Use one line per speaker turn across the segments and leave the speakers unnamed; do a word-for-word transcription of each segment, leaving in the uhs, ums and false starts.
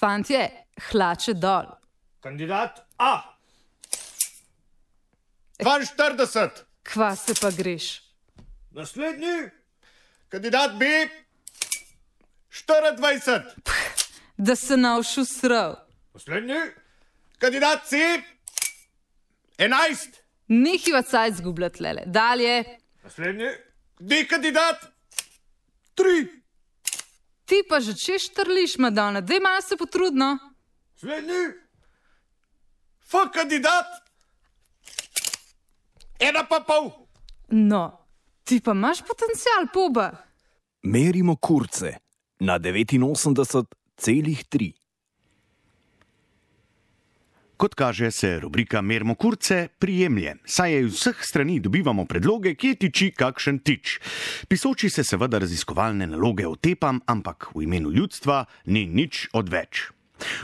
Fantje, hlače dol.
Kandidat A.
dvainštirideset.
Kva se pa greš?
Naslednji.
Kandidat B. štiriindvajset.
Da se navšu srav.
Naslednji.
Kandidat C. enajst.
Nehiva cajt zgubljati lele. Dalje.
Naslednji.
D kandidat. tri.
Ti pa že če štrliš, Madonna, daj malo se potrudno.
Naslednji.
F kandidat. Ena pa pol.
No, ti pa imaš potencial, poba.
Merimo kurce na devetinosemdeset celih tri.
Kot kaže, se rubrika Merimo kurce prijemlje, saj je iz vseh strani dobivamo predloge, kje tiči kakšen tič. Pisoči se seveda raziskovalne naloge otepam, ampak v imenu ljudstva ni nič odveč.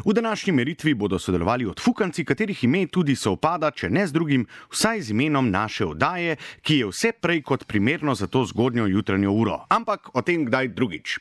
V današnji meritvi bodo sodelovali odfukanci, katerih ime tudi sovpada, če ne z drugim, vsaj z imenom naše oddaje, ki je vse prej kot primerno za to zgodnjo jutranjo uro. Ampak o tem kdaj drugič.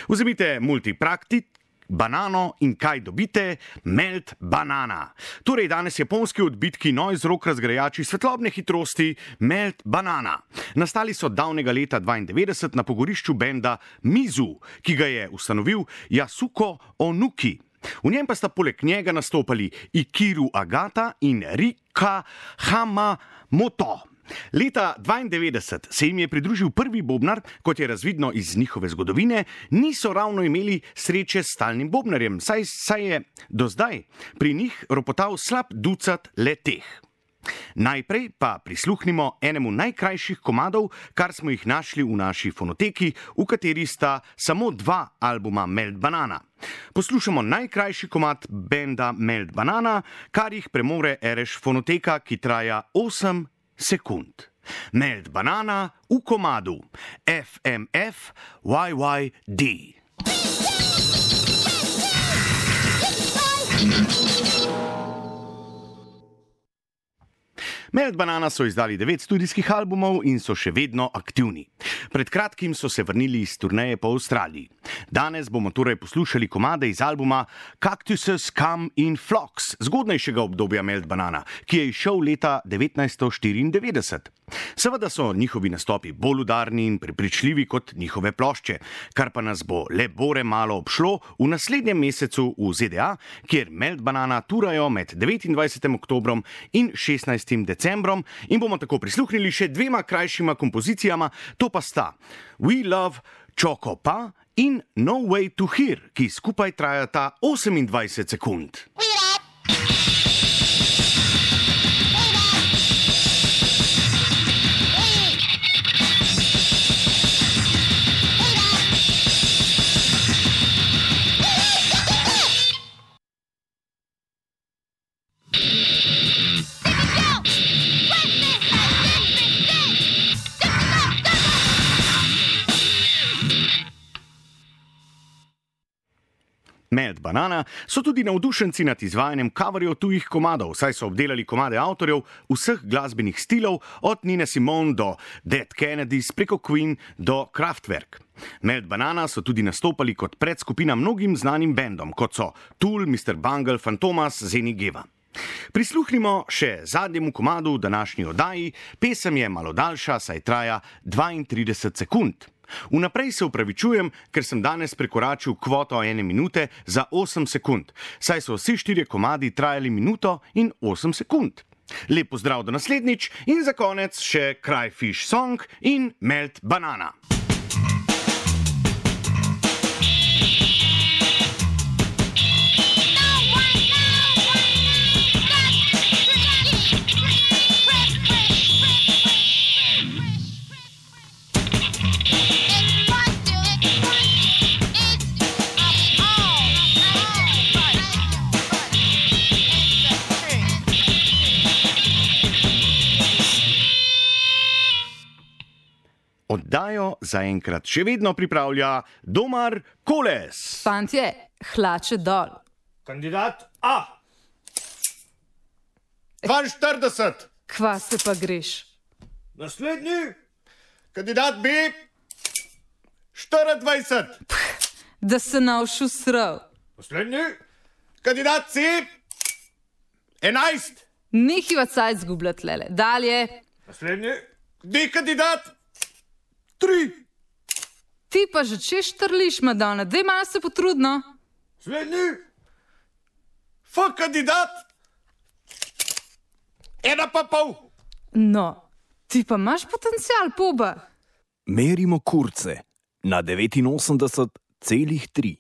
Vzemite multipraktit, banano in kaj dobite? Melt banana. Torej danes japonski odbitki noise rock razgrajači svetlobne hitrosti Melt banana. Nastali so davnega leta dvaindevetdeset na pogorišču benda Mizu, ki ga je ustanovil Yasuko Onuki. V njem pa sta poleg njega nastopali Ikiru Agata in Rika Hamamoto. Leta dvaindevetdeset se jim je pridružil prvi bobnar, kot je razvidno iz njihove zgodovine, niso ravno imeli sreče s stalnim bobnarjem, saj, saj je do zdaj pri njih ropotal slab ducat le-teh. Najprej pa prisluhnimo enemu najkrajših komadov, kar smo jih našli v naši fonoteki, v kateri sta samo dva albuma Melt banana. Poslušamo najkrajši komad benda Melt banana, kar jih premore ereš fonoteka, ki traja osem sekund. Melt banana v komadu F M F Y Y D. Melt banana so izdali devet studijskih albumov in so še vedno aktivni. Pred kratkim so se vrnili iz turneje po Avstraliji. Danes bomo torej poslušali komade iz albuma Cactuses Come in Flocks, zgodnejšega obdobja Melt banana, ki je izšel leta devetnajststo štiriindevetdeset. Seveda so njihovi nastopi bolj udarni in prepričljivi kot njihove plošče, kar pa nas bo le bore malo obšlo v naslednjem mesecu v Z D A, kjer Melt banana turajo med devetindvajsetim oktobrom in šestnajstim decembrom in bomo tako prisluhnili še dvema krajšima kompozicijama, to pa sta We Love Choco Pa in No Way to Hear, ki skupaj trajata osemindvajset sekund. Melt banana so tudi navdušenci nad izvajanjem coverjev tujih komadov, saj so obdelali komade avtorjev vseh glasbenih stilov, od Nina Simone do Dead Kennedys preko Queen do Kraftwerk. Melt banana so tudi nastopali kot predskupina mnogim znanim bendom, kot so Tool, mister Bungle, Fantomas, Zeni Geva. Prisluhnimo še zadnjemu komadu v današnji oddaji, pesem je malo daljša, saj traja dvaintrideset sekund. Vnaprej se upravičujem, ker sem danes prekoračil kvoto ene minute za osem sekund, saj so vsi štirje komadi trajali minuto in osem sekund. Lep pozdrav do naslednjič in za konec še Cryfish Song in Melt banana. Oddajo zaenkrat še vedno pripravlja Domar Koles.
Fantje, hlače dol.
Kandidat A.
dvainštirideset.
Kva se pa greš?
Naslednji.
Kandidat B. štiriindvajset.
Da se navšu srav.
Naslednji.
Kandidat C, enajst.
Nehiva cajt zgubljati, lele. Dalje.
Naslednji.
D kandidat, tri.
Ti pa že češ trliš, Madonna, daj malo se potrudno.
Naslednji.
F kandidat, ena pa pol.
No, ti pa imaš potencial, poba.
Merimo kurce na devetinosemdeset celih tri.